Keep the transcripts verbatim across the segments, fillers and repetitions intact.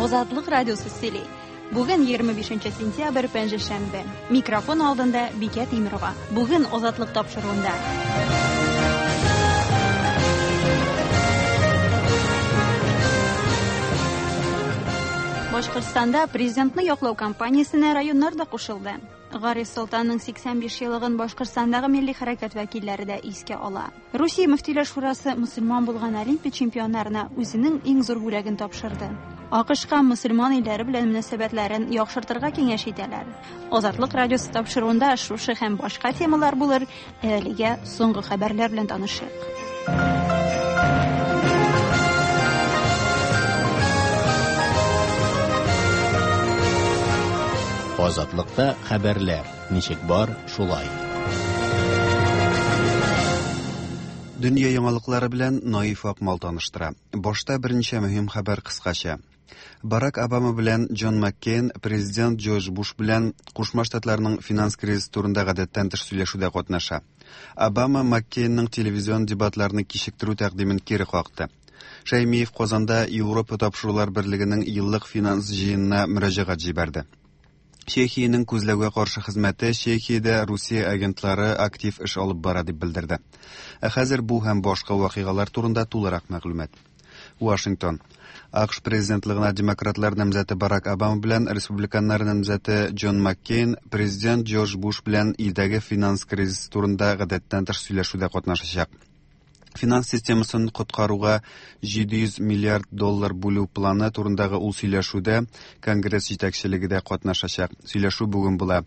Азатлык радиосы сөйли. Бүген егерме бишенче сентябрь, пәнҗешәмбе. Микрофон алдында Бикә Тимирова. Бүген Азатлык тапшыруында. Башкортстанда президентны яклау кампаниясенә районнар да кушылды. Гариф Солтанның сиксән биш еллыгын Башкортстандагы милли хәрәкәт вәкилләре дә искә ала. Русия Мөфтиләр Шурасы мөселман булган Олимпия чемпионнарына үзенең иң зур бүләген тапшырды. АКШка мөселман илләре белән мөнәсәбәтләрен яхшыртырга киңәш итәләр. Азатлык радиосы тапшыруында шушы һәм башка темалар булыр. Әлегә соңгы хәбәрләр белән танышыйк. Азатлыкта хәбәрләр ничек бар, шулай. Дөнья яңалыклары белән Наиф Акмал таныштыра. Башта берничә мөһим хәбәр кыскача. Барак Обама белән Джон Маккейн президент Джордж Буш белән Кушма Штатларның финанс кризисы турында гадәттән тыш сөйләшүдә катнаша. Обама Маккейнның телевизион дебатларны кичектерү тәкъдимен кире какты. Шәймиев Казанда Европа тапшырулар берлегенең еллык финанс җыенына мөрәҗәгать җибәрде. Чехиянең күзләүгә каршы хезмәте Чехиядә Русия агентлары актив эш алып бара дип белдерде. Ә хәзер бу һәм башка вакыйгалар турында тулырак мәгълүмат. Вашингтон. АКШ президентлыгына демократлар намзәте Барак Обама белән республиканнар намзәте Джон Маккейн президент Джордж Буш белән илдәге финанс кризисы турында гадәттән тыш сөйләшүдә катнашачак. Финанс системасын коткаруга җиде йөз миллиард доллар бүлү планы турындагы ул сөйләшүдә Конгресс җитәкчелеге дә катнашачак. Сөйләшү бүген була.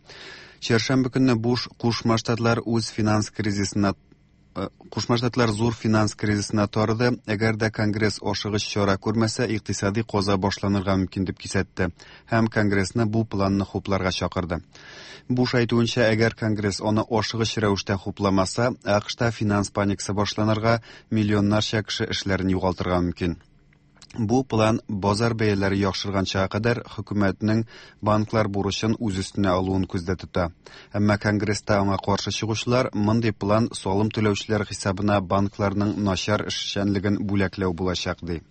Чәршәмбе көнне Буш Кушма Штатлар үз финанс кризисына, э, Кушма Штатлар зур финанс кризисына тарыды. Әгәр дә Конгресс ашыгыч чара күрмәсә, икътисади каза башланырга мөмкин дип кисәтте һәм Конгрессны бу планны хупларга чакырды. Буш әйтүенчә, әгәр Конгресс аны ашыгыч рәвештә хупламаса, АКШта финанс паникасы башланырга, миллионнарча кеше эшләрен югалтырга мөмкин. Бу план базар бәяләре яхшырганчага кадәр хөкүмәтнең банклар бурычын үз өстенә алуын күздә тота. Әмма Конгресста аңа каршы чыгучылар мондый план салым түләүчеләр хисабына банкларның начар эшчәнлеген бүләкләү булачак ди.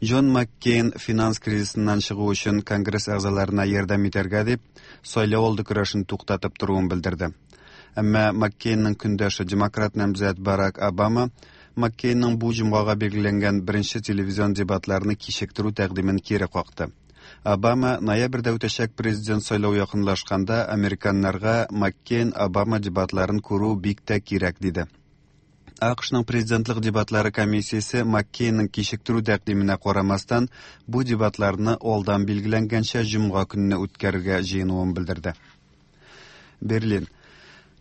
Джон Маккейн финанс кризисыннан чыгу өчен Конгресс әгъзаларына ярдәм итәргә дип сайлау алды көрәшен туктатып торуын белдерде. Әмма Маккейнның көндәше демократ намзәт Барак Обама Маккейнның бу җомгага билгеләнгән беренче телевизион дебатларны кичектерү тәкъдимен кире какты. Обама ноябрьдә үтәчәк президент сайлау якынлашканда американнарга Маккейн-Обама дебатларын күрү бик тә кирәк диде. АКШның президентлык дебатлары комиссиясе Маккейнның кичектерү тәкъдименә карамастан бу дебатларны алдан билгеләнгәнчә җомга көнне үткәрергә җыенуын белдерде. Берлин.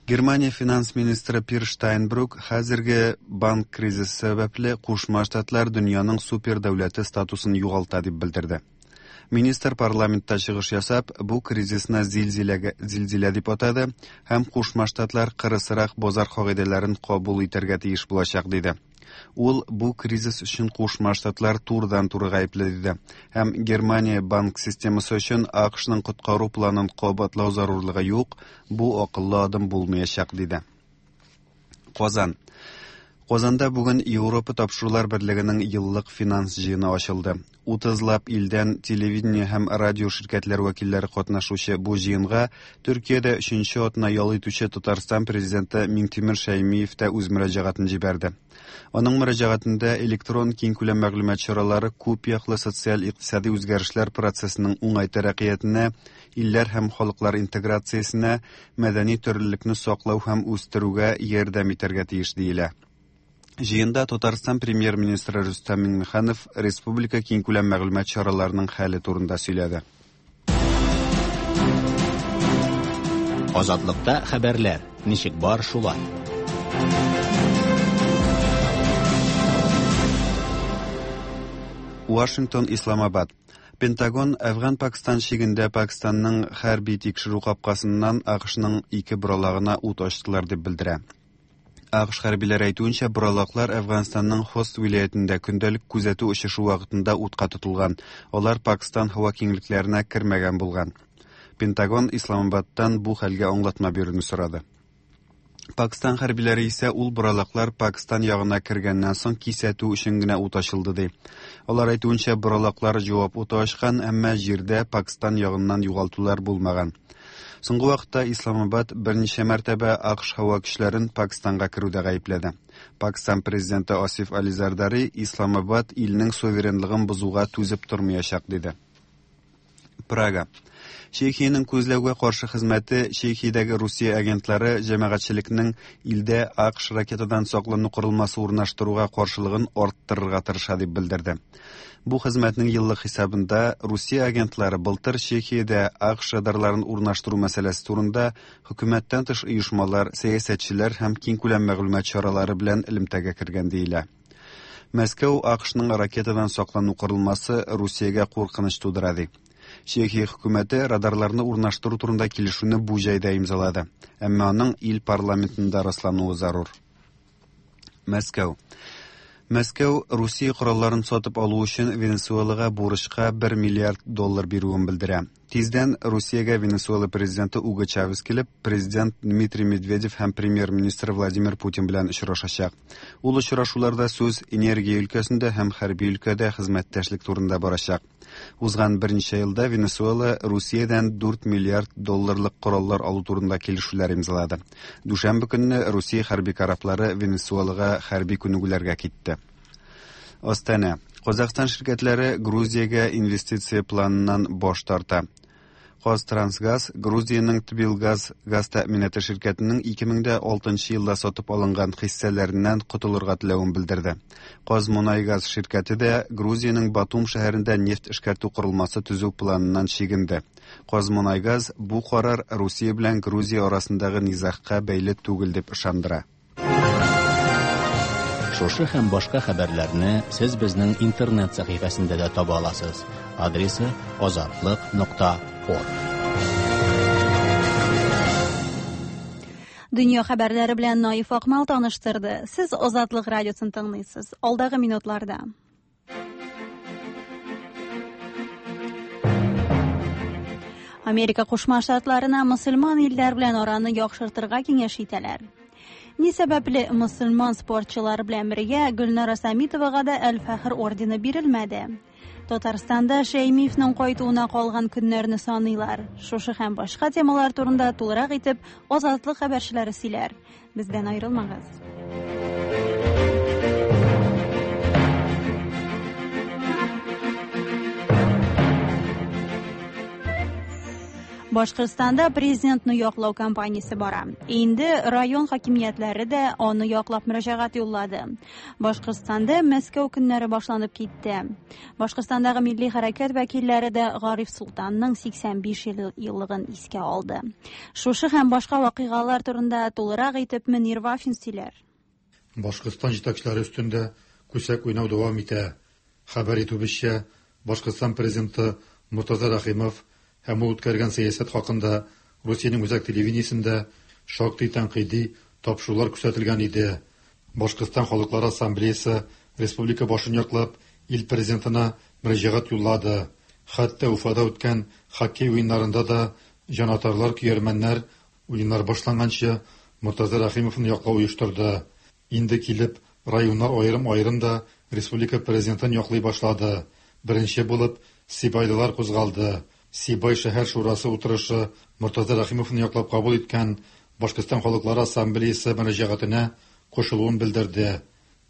Германия финанс министры Пир Штайнбрук хәзерге банк кризисы сәбәпле Кушма Штатлар дөньяның супер дәүләте статусын югалта дип белдерде. Министр парламентта чыгыш ясап, бу кризисны зилзиләгә, зилзилә дип атады һәм Кушма Штатлар кырысрак базар кагыйдәләрен кабул итәргә тиеш булачак диде. Ул бу кризис өчен Кушма Штатлар турыдан-туры гаепле диде һәм Германия банк системасы өчен АКШның коткару планын кабатлау зарурлыгы юк, бу акыллы адым булмаячак диде. Казан. Казанда бүген Европа тапшырулар берлегенең еллык финанс җыены ачылды. Утызлап илдән телевидение һәм радио ширкәтләр вәкилләре катнашучы бу җыенга Төркиядә өченче атна ял итүче Татарстан президенты Миңтимер Шәймиев тә үз мөрәҗәгатен җибәрде. Аның мөрәҗәгатендә электрон киңкүләм мәгълүмат чаралары күп яклы социаль-икътисади үзгәрешләр процессының уңай тәрәккыятенә, илләр һәм халыклар интеграциясенә, мәдәни төрлелекне саклау һәм үстерүгә ярдәм итәргә тиеш диелә. Җыенда Татарстан премьер-министры Рөстәм Миңнеханов республика киңкүләм мәгълүмат чараларының хәле турында сөйләде. Азатлыкта хәбәрләр ничек бар шулай. Вашингтон, Исламабад. Пентагон Әфган-Пакстан чигендә Пакистанның хәрби тикшерү капкасыннан АКШның ике боралагына ут ачтылар дип белдерә. АКШ хәрбиләре әйтүенчә, боралаклар Әфганстанның Хост вилаятендә көндәлек күзәтү очышы вакытында утка тотылган. Алар Пакистан һава киңлекләренә кермәгән булган. Пентагон Исламабадтан бу хәлгә аңлатма бирүне сорады. Пакистан хәрбиләре исә ул боралаклар Пакистан ягына кергәннән соң кисәтү өчен генә ут ачылды ди. Алар әйтүенчә, боралаклар җавап уты ачкан, әмма җирдә Пакистан ягыннан югалтулар булмаган. Соңгы вакытта Исламабад берничә мәртәбә АКШ һава көчләрен Пакистанга керүдә гаепләде. Пакистан президенты Асиф Али Зардари Исламабад илнең суверенлыгын бозуга түзеп тормаячак диде. Прага. Чехиянең күзләүгә каршы хезмәте Чехиядәге Русия агентлары җәмәгатьчелекнең илдә АКШ ракетадан саклану корылмасы урнаштыруга каршылыгын арттырырга тырыша дип белдерде. Бу хезмәтнең еллык хисабында Русия агентлары былтыр Чехиядә АКШ радарларын урнаштыру мәсьәләсе турында хөкүмәттән тыш оешмалар, сәясәтчеләр һәм киңкүләм мәгълүмат чаралары белән элемтәгә кергән диелә. Мәскәү АКШның ракетадан саклану корылмасы Русиягә куркыныч тудыра ди. Чехия хөкүмәте радарларны урнаштыру турында килешүне бу җәйдә имзалады. Әмма аның ил парламентында раслануы зарур. Мәскәү. Мәскәү Русия коралларын сатып алу өчен Венесуэлага бурычка бер миллиард доллар бирүен белдерә. Тиздән Русиягә Венесуэла президенты Уго Чавес килеп, президент Дмитрий Медведев һәм премьер-министр Владимир Путин белән очрашачак. Ул очрашуларда сүз энергия өлкәсендә һәм хәрби өлкәдә хезмәттәшлек турында барачак. Узган берничә елда Венесуэла Русиядән дүрт миллиард долларлык кораллар алу турында килешүләр имзалады. Дүшәмбе көнне Русия хәрби кораблары Венесуэлага хәрби күнегүләргә китте. Астана. Казахстан ширкәтләре Грузиягә инвестиция планыннан баш тарта. Казтрансгаз Грузиянең Тбилгаз газ тәэминаты ширкәтенең ике мең дә алтынчы елда сатып алынган хиссәләреннән котылырга теләвен белдерде. Казмунайгаз ширкәте дә Грузиянең Батум шәһәрендә нефть эшкәртү корылмасы төзү планыннан чигенде. Казмунайгаз бу карар Русия белән Грузия арасындагы низагка бәйле түгел дип ышандыра. Шушы һәм башка хәбәрләрне сез безнең интернет сәхифәсендә дә таба аласыз. Адресы азатлык нокта орг. Дөнья хәбәрләре белән Наиф Акмал таныштырды. Сез Азатлык радиосын тыңлыйсыз. Алдагы минутларда. Америка Кушма Штатларына мөселман илләр белән араны яхшыртырга киңәш итәләр. Ни сәбәпле мөселман спортчылары белән бергә Гөлнара Самитовага да Әл-Фәхр ордены бирелмәде. Татарстанда Шәймиевнең кайтуына калган көннәрне саныйлар. Шушы һәм башка темалар турында тулырак итеп Азатлык хәбәрчеләре сөйләр. Бездән аерылмагыз. Башкортстанда президентны яклау кампаниясе бара. Инде район хакимиятләре дә аны яклап мөрәҗәгать юллады. Башкортстанда Мәскәү көннәре башланып китте. Башкортстандагы милли хәрәкәт вәкилләре дә Гариф Солтанның сиксән биш еллыгын искә алды. Шушы һәм башка вакыйгалар турында тулырак итеп Мөнир Вафин сөйләр. Башкортстан җитәкчеләре өстендә күсәк уйнау дәвам итә. Хәбәр итүебезчә, Башкортстан президенты Муртаза Рахимов һәм ул үткәргән сәясәт хакында Русиянең үзәк телевидениесендә шактый тәнкыйди тапшырулар күрсәтелгән иде. Башкортстан Халыклар Ассамблеясы республика башын яклап ил президентына мөрәҗәгать юллады. Хәтта Уфада үткән хоккей уеннарында да җанатарлар, көярмәннәр уеннар башланганчы Муртаза Рахимовны яклау оештырды. Инде килеп районнар аерым-аерым да республика президентын яклый башлады. Беренче булып Сибайлылар кузгалды. Сибай шәһәр шурасы утырышы Муртаза Рахимовны яклап кабул иткән Башкортстан Халыклар Ассамблеясы мөрәҗәгатенә кушылуын белдерде.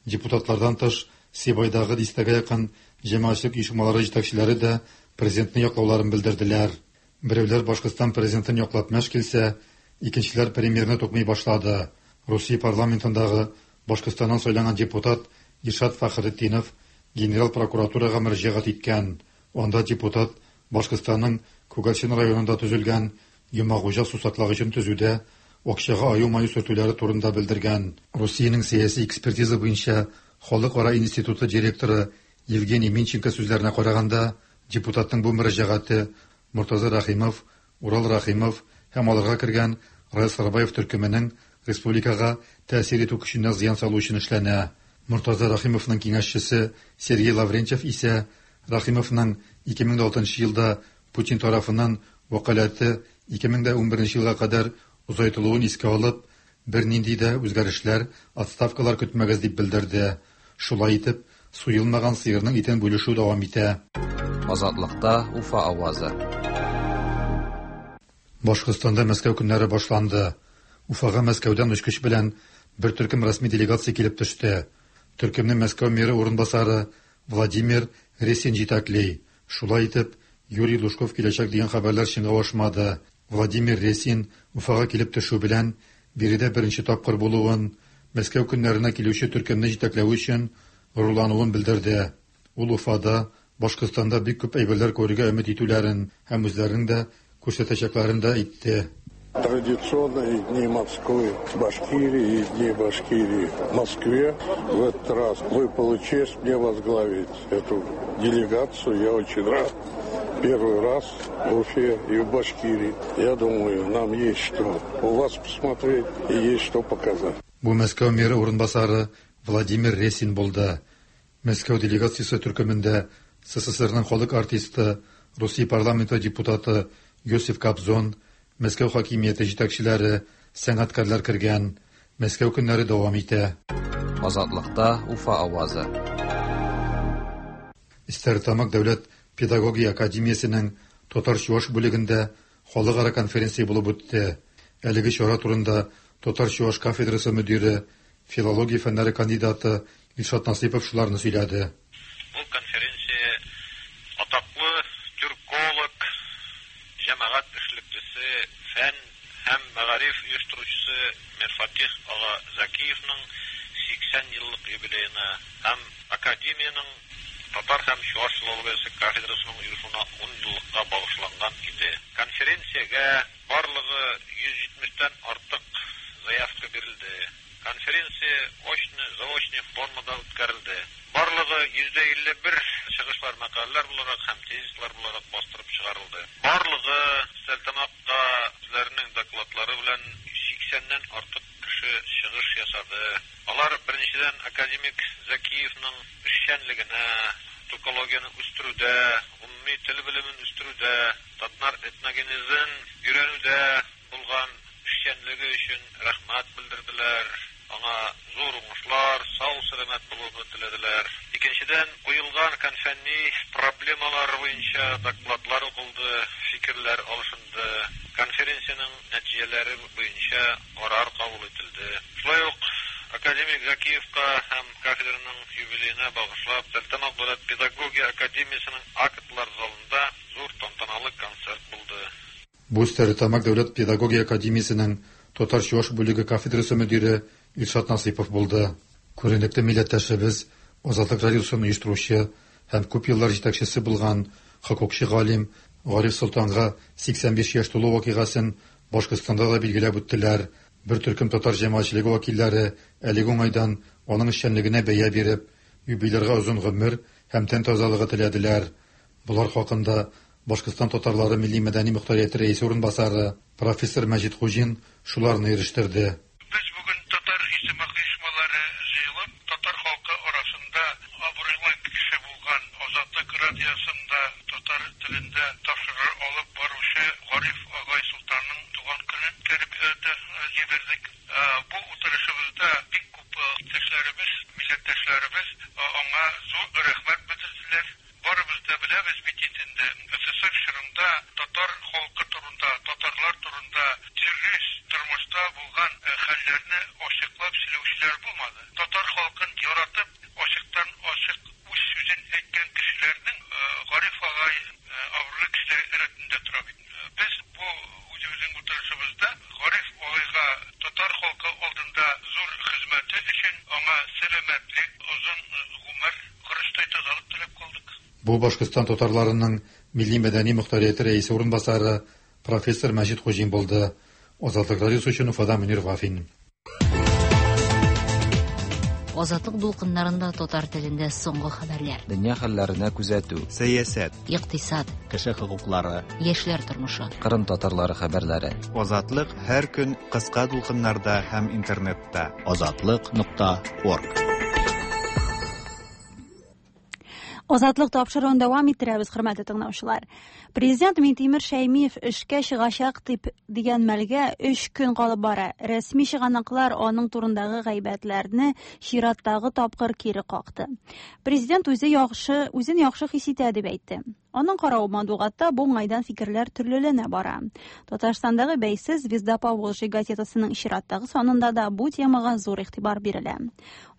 Депутатлардан тыш Сибайдагы дистәгә якын җәмәгатьчелек оешмалары җитәкчеләре дә президентны яклауларын белдерделәр. Берәүләр Башкортстан президентын яклап мәш килсә, икенчеләр премьерны тукмый башлады. Русия парламентындагы Башкортстаннан сайланган депутат Иршат Фәхретдинов генерал прокуратурага мөрәҗәгать иткән. Анда депутат Башкортстанның Күгәрчен районында төзелгән Йомагуҗа сусаклагычын төзүдә акчага аю-маю сөртүләре турында белдергән. Русиянең сәяси экспертиза буенча Халыкара институты директоры Евгений Минченко сүзләренә караганда, депутатның бу мөрәҗәгате Муртаза Рахимов, Урал Рахимов һәм аларга кергән Раил Сарабаев төркеменең республикага тәэсир итү көченә зыян салу өчен эшләнә. Муртаза Рахимовның киңәшчесе Сергей Лаврентьев исә Рахимовның ике мең алтынчы елда Путин тарафыннан вәкаләте ике мең унберенче елга кадәр озайтылуын искә алып, Бернинди дә үзгәрешләр, отставкалар көтмәгез дип белдерде. Шулай итеп, суелмаган сыерның итен бүлешү дәвам итә. Азатлыкта Уфа авазы. Башкортстанда Мәскәү көннәре башланды. Уфага Мәскәүдән очкыч белән бер төркем рәсми делегация килеп төште. Төркемне Мәскәү мэры урынбасары Владимир Ресин җитәкли. Шулай итеп, Юрий Лужков киләчәк дигән хәбәрләр чынга ашмады. Владимир Ресин Уфага килеп төшү белән биредә беренче тапкыр булуын, Мәскәү көннәренә килүче төркемне җитәкләү өчен горурлануын белдерде. Ул Уфада, Башкортстанда бик күп әйберләр күрергә өмет итүләрен һәм үзләренең дә күрсәтәчәкләрен дә әйтте. Традиционно и Дни Москвы в Башкирии, и Дни Башкирии в Москве. В этот раз выпала честь мне возглавить эту делегацию. Я очень рад. Первый раз в Уфе и в Башкирии. Я думаю, нам есть что у вас посмотреть и есть что показать. Бу Мәскәү мэры урынбасары Владимир Ресин булды. Мәскәү делегациясе төркемендә СССРның халык артисты, Русия парламенты депутаты Йосиф Кобзон, Мәскәү хакимияте җитәкчеләре, сәнгатькәрләр кергән. Мәскәү көннәре дәвам итә. Азатлыкта Уфа авазы. Стәрлетамак дәүләт педагогия академиясенең татар-чуаш бүлегендә халыкара конференция булып үтте. Әлеге чара турында татар-чуаш кафедрасы мөдире, филология фәннәре кандидаты Илшат Насыйпов шуларны сөйләде. Бу конференция атаклы тюрколог, җәмәгать эшлеклесе, фән һәм мәгариф оештыручысы Мирфатих ага Закиевның сиксән еллык юбилеена һәм академиянең татар һәм чуаш филологиясе кафедрасының оешуына ун еллыкка багышланган иде. Конференциягә барлыгы йөз җитмештән артык заявка бирелде. Конференция очно-заочный формада үткәрелде. Барлыгы йөздә илле бер чыгышлар мәкаләләр буларак һәм тезислар буларак бастырып чыгарылды. Барлыгы Стәрлетамакка үзләренең докладлары белән сиксәннән артык кеше чыгыш ясады. Алар беренчедән академик Закиевның эшчәнлегенә, тюркологияне үстерүдә, гомуми тел белемен үстерүдә, татар этногенезын өйрәнүдә булган эшчәнлеге өчен рәхмәт белдерделәр. Аңа зур уңышлар, сау-сәламәт булуны теләделәр. Икенчедән, куелган фәнни проблемалар буенча докладлар укылды, фикерләр алышынды. Конференциянең нәтиҗәләре буенча карар кабул ителде. Шулай ук академик Закиевка һәм кафедраның юбилеена багышлап Стәрлетамак дәүләт педагогия академиясенең актлар залында зур тантаналы концерт булды. Бу Стәрлетамак дәүләт педагогия академиясенең татар-чуаш бүлеге кафедрасы мөдире Илшат Насыйпов булды. Күренекле милләттәшебез, Азатлык радиосын оештыручы һәм күп еллар җитәкчесе булган хокукчы галим Гариф Солтанга сиксән биш яшь тулу вакыйгасын Башкортстанда да билгеләп үттеләр. Бер төркем татар җәмәгатьчелеге вәкилләре әлеге уңайдан аның эшчәнлегенә бәя биреп, юбилярга озын гомер һәм тән тазалыгы теләделәр. Булар хакында Башкортстан татарлары милли мәдәни мохтарияте рәисе урынбасары профессор Мәҗит Хуҗин шуларны ирештерде. Без бүген татар иҗтимагый оешмалары җыелып, татар халкы арасында абруйлы кеше булган Азатлык радиосында татар телендә тапшыру алып баручы Гариф агай Солтанның туган көнен үткәреп җибәрдек. Бу утырышыбызда бик күп иптәшләребез, милләттәшләребез аңа зур рәхмәт белдерделәр. Барыбыз да беләбез бит инде, СССР чорында татар халкы турында, татарлар турында дөрес тормышта булган хәлләрне ачыклап сөйләүчеләр булмады. Татар халкын яратып, ачыктан ачык үз сүзен әйткән кешеләрнең Гариф агай абруйлы кешеләр рәтендә тора бит. Без бу үзебезнең утырышыбызда Гариф агайга татар халкы алдында зур хезмәте өчен аңа сәламәтлек, озын гомер, корычтай тазалык теләп калдык. Бу Башкортстан татарларының милли мәдәни мохтарияте рәисе урынбасары профессор Мәҗит Хуҗин булды. Азатлык радиосы өчен Уфадан Мөнир Вафин. Азатлык дулкыннарында татар телендә соңгы хәбәрләр. Дөнья хәлләренә күзәтү, сәясәт, икътисад, кеше хокуклары, яшьләр тормышы, Кырым татарлары хәбәрләре. Азатлык һәр көн кыска дулкыннарда һәм интернетта. Азатлык нокта орг. Азатлык тапшыруын дәвам иттерәбез, хөрмәтле тыңлаучылар. Президент Минтимер Шәймиев эшкә чыгачак дип дигән мәлгә өч көн калып бара. Рәсми чыганаклар аның турындагы гайбәтләрне чираттагы тапкыр кире какты. Президент үзе яхшы, үзен яхшы хис итә дип әйтте. Аның каравы матбугатта бу уңайдан фикерләр төрлеләнә бара. Татарстандагы бәйсез «Звезда Поволжья» газетасының чираттагы санында да бу темага зур игътибар бирелә.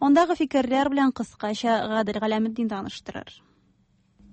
Андагы фикерләр белән кыскача Гадел Галәметдин таныштырыр.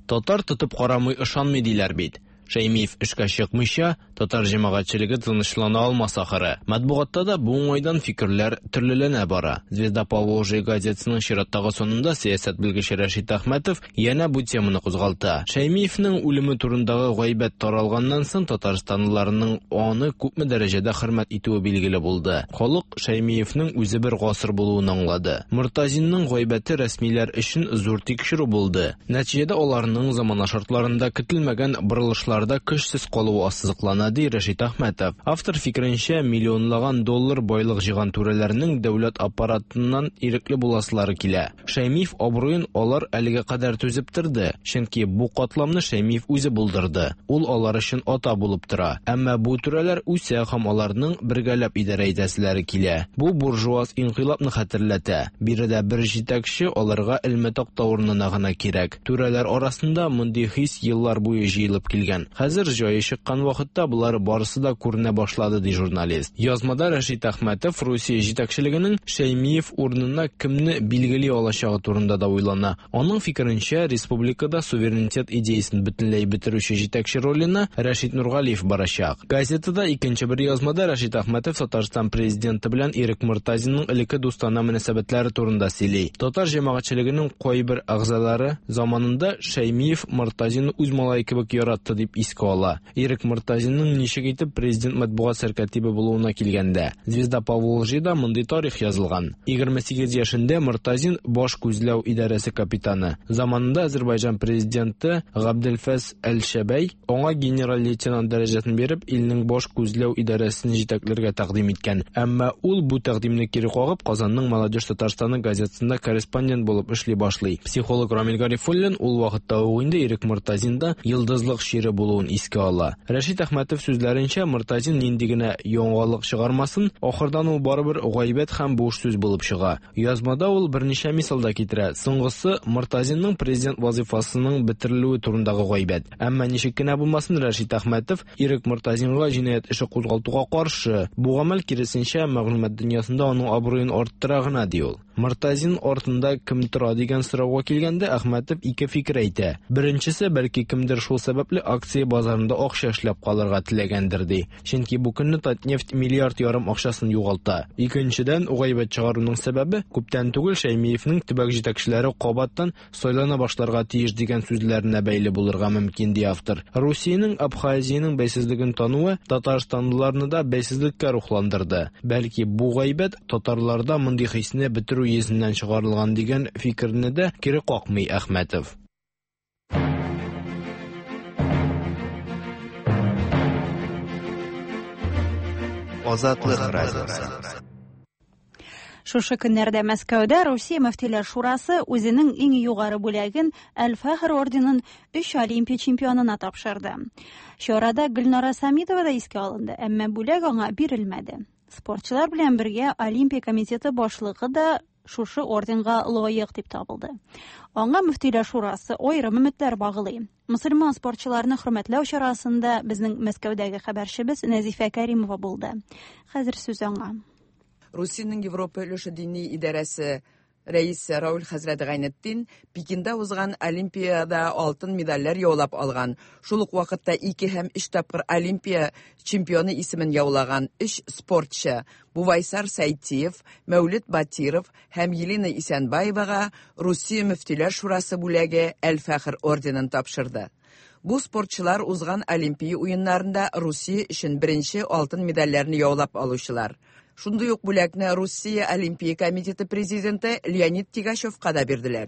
Татар тотып карамый ышанмый диләр бит. Шәймиев эшкә чыкмыйча, татар җәмәгатьчелеге тынычлана алмас ахыры. Матбугатта да бу уңайдан фикерләр төрлеләнә бара. «Звезда Поволжья» газетасының чираттагы санында сәясәт белгече Рәшит Әхмәтов янә бу теманы кузгалта. Шәймиевнең үлеме турындагы гайбәт таралганнан соң татарстанлыларның аны күпме дәрәҗәдә хөрмәт итүе билгеле булды. Халык Шәймиевнең үзе бер гасыр булуын аңлады. Мортазинның гайбәте рәсмиләр өчен зур тикшерү булды. Нәтиҗәдә аларның замана шартларында көтелмәгән борылышлар көчсез калуы ассызыклана, ди Рәшит Әхмәтов. Автор фикеренчә, миллионлаган доллар байлык җыйган түрәләрнең дәүләт аппаратыннан ирекле буласылары килә. Шәймиев абруен алар әлегә кадәр түзеп торды, чөнки бу катламны Шәймиев үзе булдырды. Ул алар өчен ата булып тора. Әмма бу түрәләр үсә һәм аларның бергәләп идарә итәселәре килә. Бу буржуаз инкыйлабны хәтерләтә. Биредә бер җитәкче аларга элмә такта урынына гына кирәк. Түрәләр арасында мондый хис еллар буе җыелып килгән. Хәзер җае чыккан вакытта болар барысы да күренә башлады, ди журналист. Язмада Рәшит Әхмәтов Русия җитәкчелегенең Шәймиев урынына кемне билгели алачагы турында да уйлана. Аның фикеренчә, республикада суверенитет идеясын бөтенләй бетерүче җитәкче роленә Рәшит Нургалиев барачак. Газетада икенче бер язмада Рәшит Әхмәтов Татарстан президенты белән Ирек Мортазинның элекке дустана мөнәсәбәтләре турында сөйли. Татар җәмәгатьчелегенең кайбер әгъзалары заманында Шәймиев Мортазинны үз малае кебек яратты дип искә ала. Ирек Мортазинның ничек итеп президент матбугат сәркатибе булуына килгәндә, «Звезда Поволжьеда» мондый тарих язылган. егерме сигез яшендә Мортазин баш күзләү идарәсе капитаны. Заманында Азербайҗан президенты Габделфәс Әл-Шәбәй аңа генерал-лейтенант дәрәҗәсен биреп, илнең баш күзләү идарәсен җитәкләргә тәкъдим иткән. Әмма ул бу тәкъдимне кире кагып, Казанның «Молодежь Татарстаны» газетасында корреспондент булып эшли башлый. Психолог Рамил Гарифуллин ул вакытта ук инде Ирек Мортазинда йолдызлык чире булуын искә ала. Рәшит Әхмәтов сүзләренчә, Мортазин нинди генә яңалык чыгармасын, ахырдан ул барыбер гайбәт һәм буш сүз булып чыга. Язмада ул берничә мисал да китерә. Соңгысы Мортазинның президент вазифасының бетерелүе турындагы гайбәт. Әмма ничек кенә булмасын, Рәшит Әхмәтов Ирек Мортазинга җинаять эше кузгалтуга каршы. Бу гамәл киресенчә мәгълүмат дөньясында аның абруен арттыра гына, ди ул. Мортазин артында кем тора дигән сорауга килгәндә, Әхмәтов ике фикер әйтә. Беренчесе, бәлки кемдер шул сәбәпле акция базарында акча эшләп калырга теләгәндер, ди. Чөнки бу көнне Татнефть миллиард ярым акчасын югалта. Икенчедән, гайбәт чыгаруның сәбәбе күптән түгел Шәймиевнең төбәк җитәкчеләре кабаттан сайлана башларга тиеш дигән сүзләренә бәйле булырга мөмкин, ди автор. Русиянең Абхазиянең бәйсезлеген тануы татарстанлыларны да бәйсезлеккә рухландырды. Бәлки бу гайбәт татарларда мондый хисне бетерү йөзеннән чыгарылган дигән фикерне дә кире какмый Әхмәтов. Азатлык радиосы. Шушы көннәрдә Мәскәүдә Русия Мөфтиләр Шурасы үзенең иң югары бүләген Әл-Фәхр орденын өч олимпия чемпионына тапшырды. Чарада Гөлнара Самитова да искә алынды, әмма бүләк аңа бирелмәде. Спортчылар белән бергә Олимпия комитеты башлыгы да шушы орденга лаек дип табылды. Аңа Мөфтиләр Шурасы аерым өметләр баглый. Мөселман спортчыларны хөрмәтләү чарасында безнең Мәскәүдәге хәбәрчебез Нәзифә Кәримова булды. Хәзер сүз аңа. Русиянең Европа өлеше дини идарәсе рәисе Рауль хәзрәт Гайнетдин Пекинда узган Олимпиада алтын медальләр яулап алган. Шул ук вакытта ике һәм өч тапкыр Олимпия чемпионы исемен яулаган өч спортчы Бувайсар Сайтиев, Мәүлет Батиров һәм Елена Исәнбаевага Русия Мөфтиләр Шурасы бүләге Әл-Фәхр орденын тапшырды. Бу спортчылар узган Олимпия уеннарында Русия өчен беренче алтын медальләрне яулап алучылар. Шундый ук бүләкне Русия Олимпия комитеты президенты Леонид Тигачевка да бирделәр.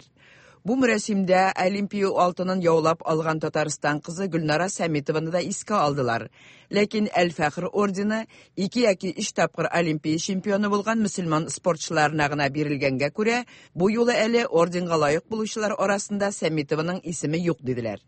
Бу мөрәсимдә Олимпия алтынын яулап алган Татарстан кызы Гөлнара Сәмитованы да искә алдылар. Ләкин Әл-Фәхр ордены ике яки өч тапкыр Олимпия чемпионы булган мөселман спортчыларына гына бирелгәнгә күрә, бу юлы әле орденга лаек булучылар арасында Сәмитованың исеме юк диделәр.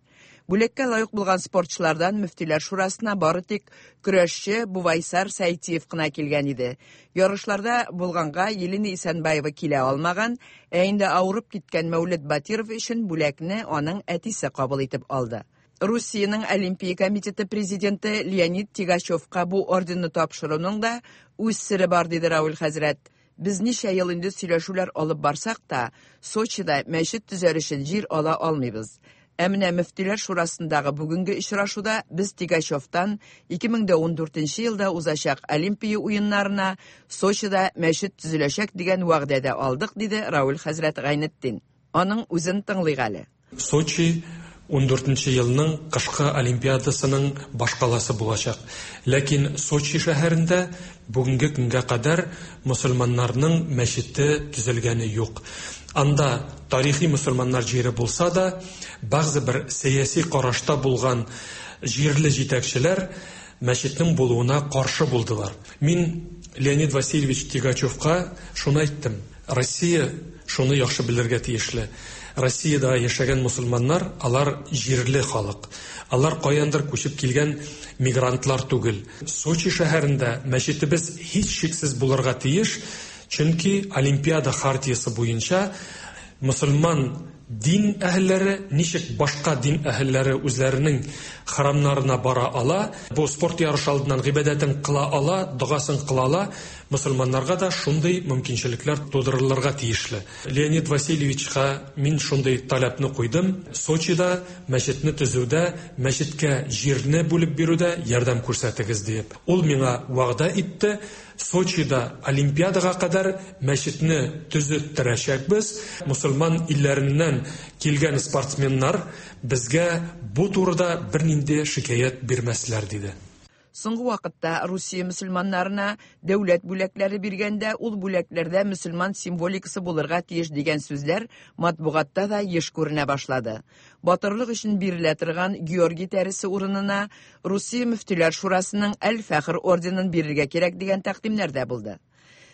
Бүләккә лаек булган спортчылардан Мөфтиләр шурасына бары тик көрәшче Бувайсар Сәйтиев кына килгән иде. Ярышларда булганга Елена Исәнбаева килә алмаган, ә инде авырып киткән Мәүлет Батиров өчен бүләкне аның әтисе кабул итеп алды. Русиянең Олимпия комитеты президенты Леонид Тигачевка бу орденны тапшыруның да үз сере бар, диде Рауль хәзрәт. Без ничә ел инде сөйләшүләр алып барсак та, Сочида мәчет төзәр өчен җир ала алмыйбыз. Ә менә Мөфтиләр шурасындагы бүгенге очрашуда без Тигачевтан ике мең дә ундүртенче елда узачак Олимпия уеннарына Сочида мәчет төзеләчәк дигән вәгъдә дә алдык, диде Рауль хәзрәт Гайнетдин. Аның үзен тыңлыйк әле. Сочи ундүртенче елның кышкы Олимпиадасының башкаласы булачак. Ләкин Сочи шәһәрендә бүгенге көнгә кадәр мөселманнарның мәчете төзелгәне юк. Анда тарихи мөселманнар җире булса да, бәгъзе бер сәяси карашта булган җирле җитәкчеләр мәчетнең булуына каршы булдылар. Мин Леонид Васильевич Тигачевка шуны әйттем. Россия шуны яхшы белергә тиешле. Россиядә яшәгән мөселманнар, алар җирле халык. Алар каяндыр күчеп килгән мигрантлар түгел. Сочи шәһәрендә мәчетебез һичшиксез булырга тиеш, чөнки Олимпиада хартиясе буенча мөселман дин әһелләре ничек башка дин әһелләре үзләренең храмнарына бара ала, бу спорт ярышы алдыннан гыйбадәтен кыла ала, догасын кыла ала, мөселманнарга да шундый мөмкинчелекләр тудырылырга тиешле. Леонид Васильевичка мин шундый таләпне куйдым. Сочида мәчетне төзүдә, мәчеткә җирне бүлеп бирүдә ярдәм күрсәтегез диеп. Ул миңа вәгъдә итте. Сочида Олимпиадага кадәр мәчетне төзеттерәчәкбез. Мөселман илләреннән килгән спортсменнар безгә бу турыда бернинди шикаять бирмәсләр, диде. Соңгы вакытта Русия мөселманнарына дәүләт бүләкләре биргәндә, ул бүләкләрдә мөселман символикасы булырга тиеш дигән сүзләр матбугатта да еш күренә башлады. Батырлык өчен бирелә торган Георгий тәресе урынына Русия Мөфтиләр шурасының Әл-Фәхр орденын бирергә кирәк дигән тәкъдимнәр дә булды.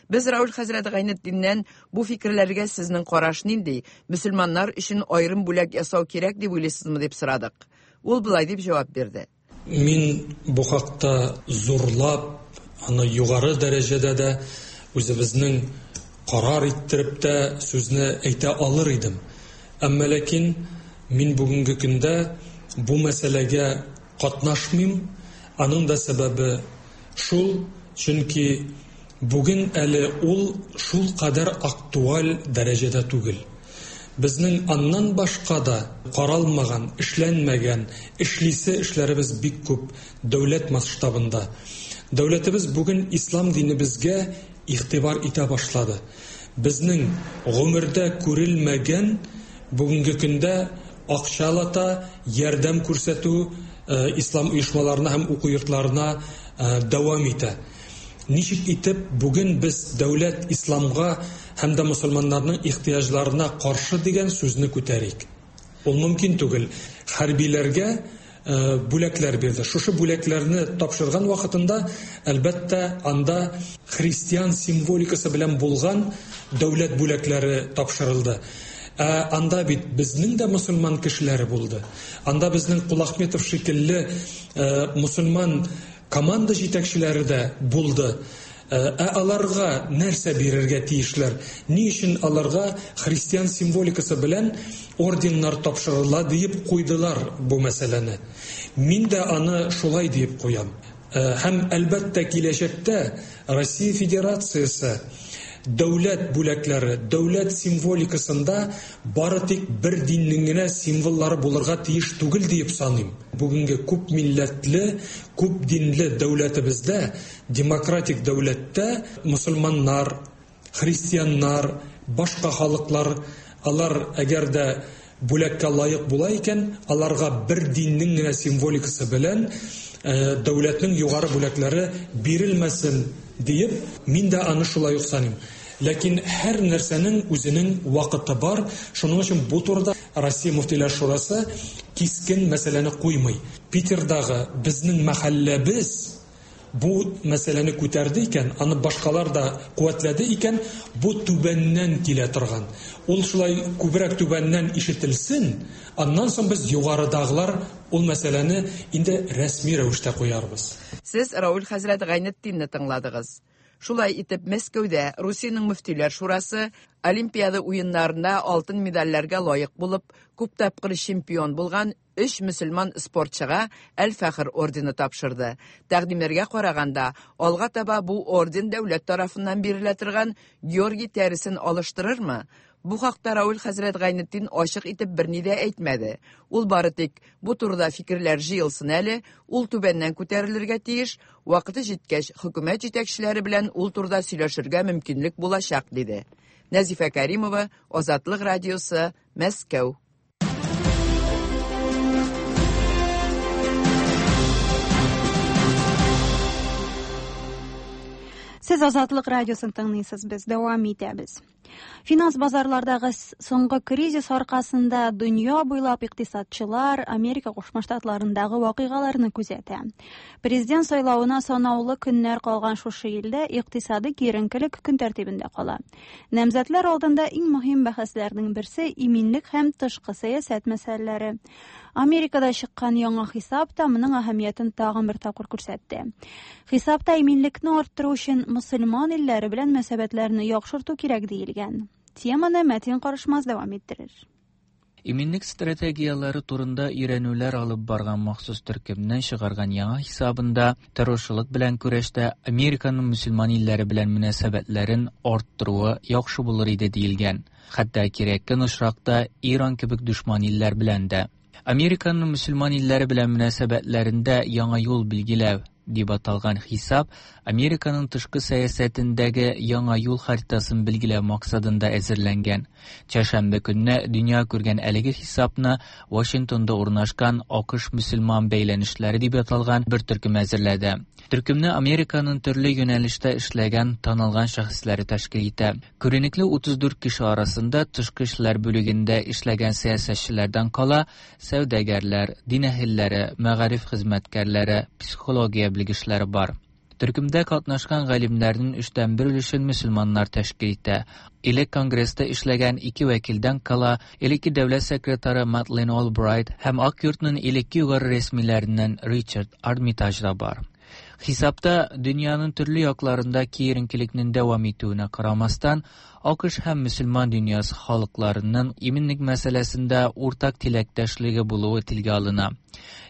Без Рауль хәзрәт Гайнетдиннән бу фикерләргә сезнең караш нинди, мөселманнар өчен аерым бүләк ясау кирәк дип уйлыйсызмы дип сорадык. Ул болай дип җавап бирде. Мин бу хакта зурлап, аны югары дәрәҗәдә дә үзебезнең карар иттереп тә сүзне әйтә алыр идем. Әмма ләкин мин бүгенге көндә бу мәсьәләгә катнашмыйм. Аның да сәбәбе шул, чөнки бүген әле ул шул кадәр актуаль дәрәҗәдә түгел. Безнең аннан башка да каралмаган, эшләнмәгән, эшлисе эшләребез бик күп дәүләт масштабында. Дәүләтебез бүген ислам динебезгә игътибар итә башлады. Безнең гомердә күрелмәгән бүгенге көндә акчалата ярдәм күрсәтү ислам оешмаларына һәм уку йортларына дәвам итә. Ничек итеп бүген без дәүләт исламга һәм дә мөселманнарның ихтыяҗларына каршы дигән сүзне күтәрик? Ул мөмкин түгел. Хәрбиләргә бүләкләр бирде. Шушы бүләкләрне тапшырган вакытында, әлбәттә, анда христиан символикасы белән булган дәүләт бүләкләре тапшырылды. Ә анда бит безнең дә мөселман кешеләре булды. Анда безнең Кулахметов шикелле мөселман команда җитәкчеләре дә булды. Ә аларга нәрсә бирергә тиешләр? Ни өчен аларга христиан символикасы белән орденнар тапшырыла диеп куйдылар бу мәсьәләне? Мин дә аны шулай диеп куям. Һәм әлбәттә киләчәктә Россия Федерациясе дәүләт бүләкләре, дәүләт символикасында бары тик бер диннең генә символлары булырга тиеш түгел диеп саныйм. Бүгенге күп милләтле, күп динле дәүләтебездә, демократик дәүләттә мөселманнар, христианнар, башка халыклар, алар әгәр дә бүләккә лаек була икән, аларга бер диннең генә символикасы белән дәүләтнең югары бүләкләре бирелмәсен диеп, мин дә аны шулай ук саныйм. Ләкин һәр нәрсәнең үзенең вакыты бар. Шуның өчен бу турыда Россия Мөфтиләр Шурасы кискен мәсьәләне куймый. Питердагы безнең мәхәлләбез бу мәсьәләне күтәрде икән, аны башкалар да куәтләде икән, бу түбәннән килә торган. Ул шулай күбрәк түбәннән ишетелсен, аннан соң без югарыдагылар ул мәсьәләне инде рәсми рәвештә куярбыз. Сез Рауль хәзрәт Гайнетдинне тыңладыгыз. Шулай итеп, Мәскәүдә Русиянең Мөфтиләр Шурасы Олимпиада уеннарында алтын медальләргә лаек булып, күп тапкыр чемпион булган өч мөселман спортчыга Әл-Фәхр ордены тапшырды. Тәкъдимнәргә караганда, алга таба бу орден дәүләт тарафыннан бирелә торган Георгий тәресен алыштырырмы? Бу хакта Рауль хәзрәт Гайнетдин ачык итеп берни дә әйтмәде. Ул бары тик бу турыда фикерләр җыелсын әле, ул түбәннән күтәрелергә тиеш, вакыты җиткәч хөкүмәт җитәкчеләре белән ул турыда сөйләшергә мөмкинлек булачак, диде. Нәзифә Каримова, Азатлык радиосы, Мәскәү. Сез Азатлык радиосын тыңлыйсыз, без дәвам итәбез. Финанс базарлардагы соңгы кризис аркасында дөнья буйлап икътисадчылар Америка Кушма Штатларындагы вакыйгаларны күзәтә. Президент сайлавына санаулы көннәр калган шушы илдә икътисади киеренкелек көн тәртибендә кала. Намзәтләр алдында иң мөһим бәхәсләрнең берсе иминлек һәм тышкы сәясәт мәсьәләләре. Америкада чыккан яңа хисап та моның әһәмиятен тагын бер тапкыр күрсәтте. Хисапта иминлекне арттыру өчен мөселман илләре белән мөнәсәбәтләрне яхшырту кирәк диелгән. Теманы Мәтин Карышмаз дәвам иттерер. Иминлек стратегиялары турында өйрәнүләр алып барган махсус төркемнән чыгарган яңа хисабында террорчылык белән көрәштә Американың мөселман илләре белән мөнәсәбәтләрен арттыруы яхшы булыр иде диелгән. Хәтта кирәккән очракта Иран кебек дошман илләр белән дә. Американың мөселман илләре белән мөнәсәбәтләрендә яңа юл билгеләү дип аталган хисап Американың тышкы сәясәтендәге яңа юл харитасын билгеләү максатында әзерләнгән. Чәршәмбе көнне дөнья күргән әлеге хисапны Вашингтонда урнашкан АКШ мөселман бәйләнешләре дип аталган бер төркем әзерләде. Төркемне Американың төрле юнәлештә эшләгән танылган шәхесләре тәшкил итә. Күренекле утыз дүрт кеше арасында тышкы эшләр бүлегендә эшләгән сәясәтчеләрдән кала сәүдәгәрләр, дин әһелләре, мәгариф хезмәткәрләре, психология белгечләре бар. Төркемдә катнашкан галимнәрнең өчтән бер өлешен мөселманнар тәшкил итә. Элек Конгресста эшләгән ике вәкилдән кала элекке дәүләт секретаре Мадлен Олбрайт һәм Ак йортның элекке югары рәсмиләреннән Ричард Армитаж да бар. Хисапта дөньяның төрле якларында киеренкелекнең дәвам итүенә карамастан, АКШ һәм мөселман дөньясы халыкларының иминлек мәсьәләсендә уртак теләктәшлеге булуы телгә алына.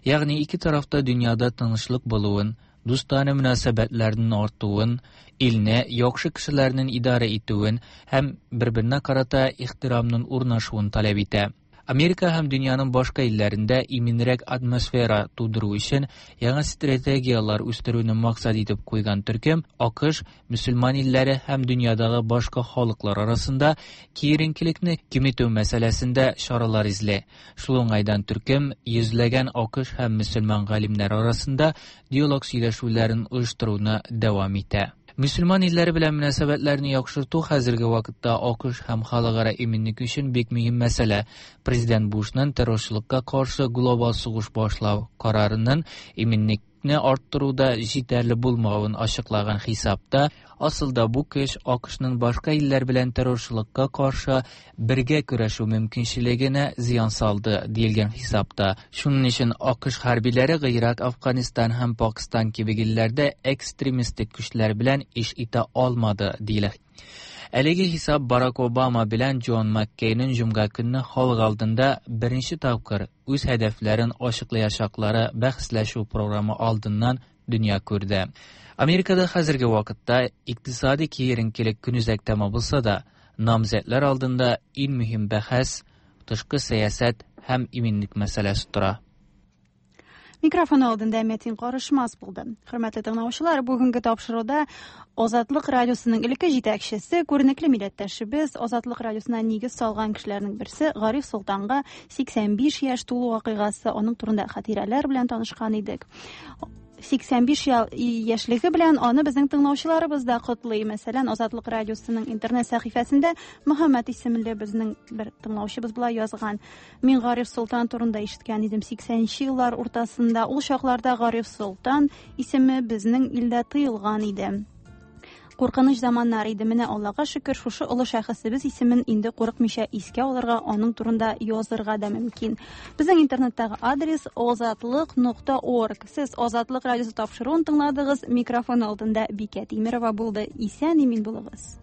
Ягъни ике тарафта дөньяда тынычлык булуын, дустанә мөнәсәбәтләрнең артуын, илне яхшы кешеләрнең идарә итүен һәм бер-беренә карата ихтирамның урнашуын таләп итә. Америка һәм дөньяның башка илләрендә иминрәк атмосфера тудыру өчен яңа стратегияләр үстерүне максат итеп куйган төркем АКШ, мөселман илләре һәм дөньядагы башка халыклар арасында киеренкелекне киметү мәсьәләсендә чаралар эзли. Шул уңайдан төркем йөзләгән АКШ һәм мөселман галимнәре арасында диалог сөйләшүләрен оештыруны дәвам итә. Мөселман илләре белән мөнәсәбәтләрне яхшырту хәзерге вакытта АКШ һәм халыкара иминлек өчен бик мөһим мәсьәлә. Президент Бушның террорчылыкка каршы глобал сугыш башлау карарының иминлекне арттыруда җитәрле булмавын ачыклаган хисапта, асылда бу көч АКШның башка илләр белән террорчылыкка каршы бергә көрәшү мөмкинчелегенә зыян салды диелгән хисапта. Шуның өчен АКШ хәрбиләре Гыйрак, Афганистан һәм Пакистан кебек илләрдә экстремистик көчләр белән эш итә алмады диелә. Әлеге хисап Барак Обама белән Джон Маккейнның җомга көнне халык алдында беренче тапкыр үз һәдәфләрен ачыклаячаклары бәхәсләшү програмы алдыннан дөнья күрде. Америкада хәзерге вакытта икътисади киеренкелек көнүзәк тема булса да, намзәтләр алдында иң мөһим бәхәс тышкы сәясәт һәм иминлек мәсьәләсе тора. Микрофон алдында Мәтин Карышмаз булды. Хөрмәтле тыңлаучылар, бүгенге тапшыруда Азатлык радиосының элекке җитәкчесе, күренекле милләттәшебез, Азатлык радиосына нигез салган кешеләрнең берсе Гариф Солтанга сиксән биш яшь тулу вакыйгасы, аның турында хатирәләр белән танышкан идек. Сиксән биш яшьлеге белән аны безнең тыңлаучыларыбыз да котлый. Мәсәлән, Азатлык радиосының интернет сәхифәсендә Мөхәммәт исемле безнең бер тыңлаучыбыз болай язган: "Мин Гариф Солтан турында ишеткән идем сиксәненче еллар уртасында. Ул чакларда Гариф Солтан исеме безнең илдә тыелган иде. Куркыныч заманнар иде. Менә Аллага шөкер, шушы олы шәхесебез исемен инде курыкмыйча искә алырга, аның турында язырга да мөмкин. Безнең интернеттагы адрес озатлык нокта орг. Сез Азатлык радиосы тапшыруын тыңладыгыз. Микрофон алдында Бикә Тимирова булды. Исән имин булыгыз.